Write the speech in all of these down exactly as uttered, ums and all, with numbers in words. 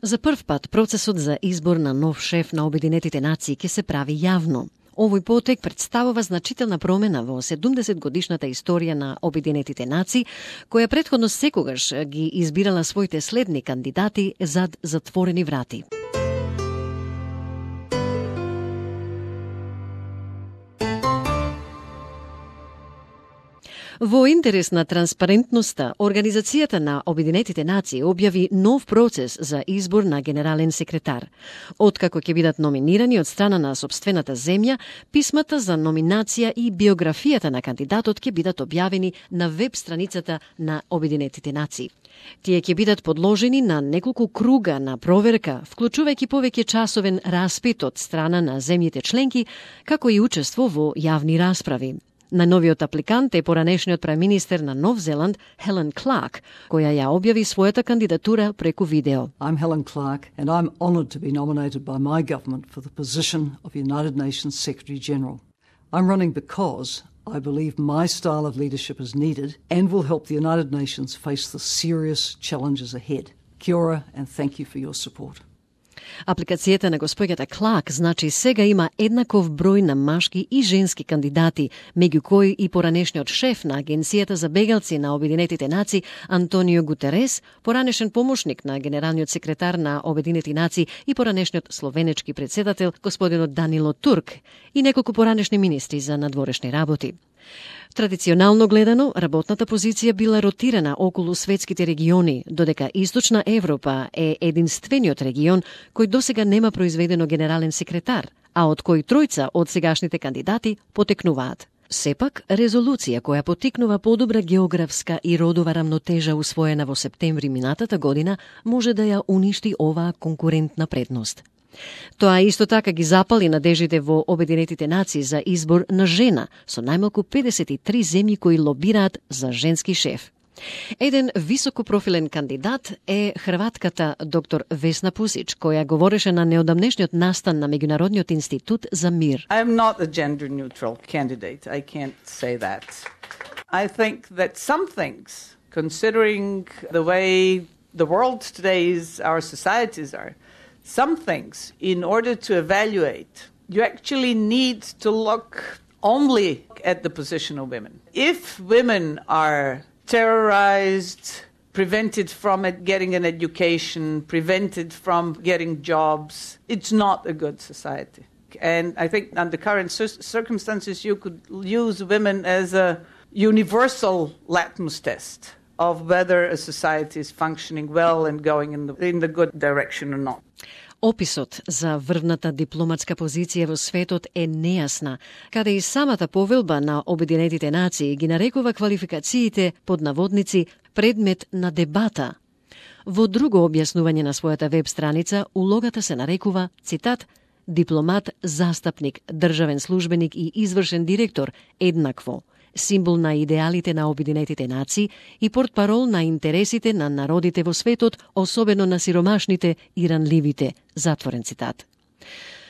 За прв пат процесот за избор на нов шеф на Обединетите нации ќе се прави јавно. Овој потек представува значителна промена во седумдесет годишната историја на Обединетите нации, која претходно секогаш ги избирала своите следни кандидати зад затворени врати. Во интерес на транспарентноста, Организацијата на Обединетите нации објави нов процес за избор на генерален секретар. Откако ќе бидат номинирани од страна на сопствената земја, писмата за номинација и биографијата на кандидатот ќе бидат објавени на веб страницата на Обединетите нации. Тие ќе бидат подложени на неколку круга на проверка, вклучувајќи повеќе часовен распит од страна на земјите членки, како и учество во јавни расправи. Најновиот апликант е поранешниот преминистер на Нов Зеланд, Helen Clark, која ја објави својата кандидатура преку видео. I'm Helen Clark and I'm honoured to be nominated by my government for the position of United Nations Secretary General. I'm running because I believe my style of leadership is needed and will help the United Nations face the serious challenges ahead. Kia ora and thank you for your support. Апликацијата на господјата Клак значи сега има еднаков број на машки и женски кандидати, меѓу кои и поранешниот шеф на Агенцијата за бегалци на Обединетите нации Антонио Гутерес, поранешен помошник на генералниот секретар на Обединети нации и поранешниот словенечки председател господинот Данило Турк и неколку поранешни министри за надворешни работи. Традиционално гледано, работната позиција била ротирана околу светските региони, додека Источна Европа е единствениот регион кој досега нема произведено генерален секретар, а од кој тројца од сегашните кандидати потекнуваат. Сепак, резолуција која потикнува подобра географска и родова рамнотежа усвоена во септември минатата година може да ја уништи оваа конкурентна предност. Тоа исто така ги запали надежите во Обединетите нации за избор на жена, со најмалку педесет и три земји кои лобираат за женски шеф. Еден високопрофилен кандидат е хрватката доктор Весна Пусич, која говореше на неодамнешниот настан на Меѓународниот институт за мир. I am not a gender neutral candidate. I can't say that. I think that some things, considering the way the world today is, our societies are, some things, in order to evaluate, you actually need to look only at the position of women. If women are terrorized, prevented from getting an education, prevented from getting jobs, it's not a good society. And I think under current circumstances, you could use women as a universal litmus test of whether a society is functioning well and going in the, in the good direction or not. Описот за врвната дипломатска позиција во светот е нејасна, каде и самата повелба на Обединетите нации ги нарекува квалификациите под наводници предмет на дебата. Во друго објаснување на својата веб страница, улогата се нарекува, цитат, дипломат, застапник, државен службеник и извршен директор еднакво, символ на идеалите на Обединетите нации и портпарол на интересите на народите во светот, особено на сиромашните и ранливите, затворен цитат.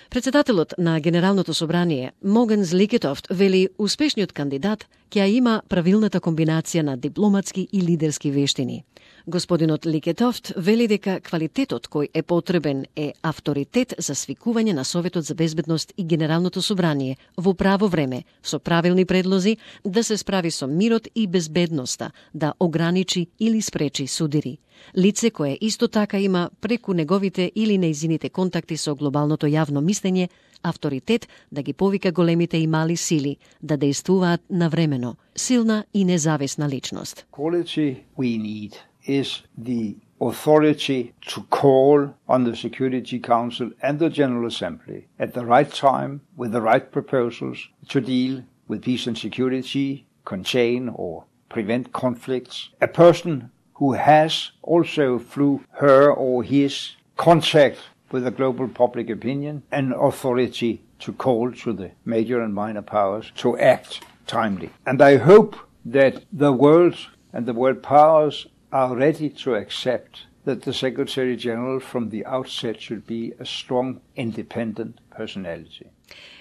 Председателот на Генералното собрание, Могенс Ликетофт, вели успешниот кандидат ќе има правилната комбинација на дипломатски и лидерски вештини. Господинот Ликетофт вели дека квалитетот кој е потребен е авторитет за свикување на Советот за безбедност и Генералното собрание во право време, со правилни предлози, да се справи со мирот и безбедноста, да ограничи или спречи судири. Лице кое исто така има преку неговите или неизините контакти со глобалното јавно мислење, авторитет да ги повика големите и мали сили, да действуваат навремено, силна и независна личност. Quality we need is the authority to call on the Security Council and the General Assembly at the right time with the right proposals to deal with peace and security, contain or prevent conflicts. A person who has also through her or his contact with the global public opinion an authority to call to the major and minor powers to act timely. And I hope that the world and the world powers are ready to accept that the Secretary General from the outset should be a strong, independent personality.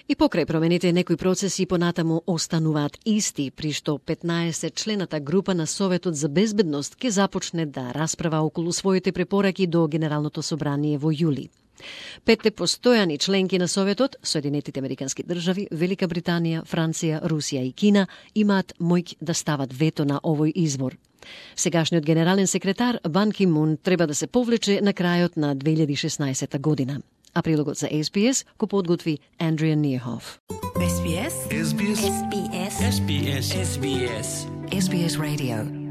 И покрај промените, некои процеси понатаму остануваат исти, при што петнаесет члената група на Советот за безбедност ќе започне да расправа околу своите препораки до Генералното собрание во јули. Петте постојани членки на Советот, Соединетите Американски држави, Велика Британија, Франција, Русија и Кина, имаат моќ да стават вето на овој избор. Сегашниот генерален секретар Бан Ки Мун треба да се повлече на крајот на две илјади и шеснаесета година. А прилогот за Ес Би Ес го подготви Андрија Нирхоф. Ес Би Ес. Ес Би Ес. Ес Би Ес. Ес Би Ес. Ес Би Ес Radio.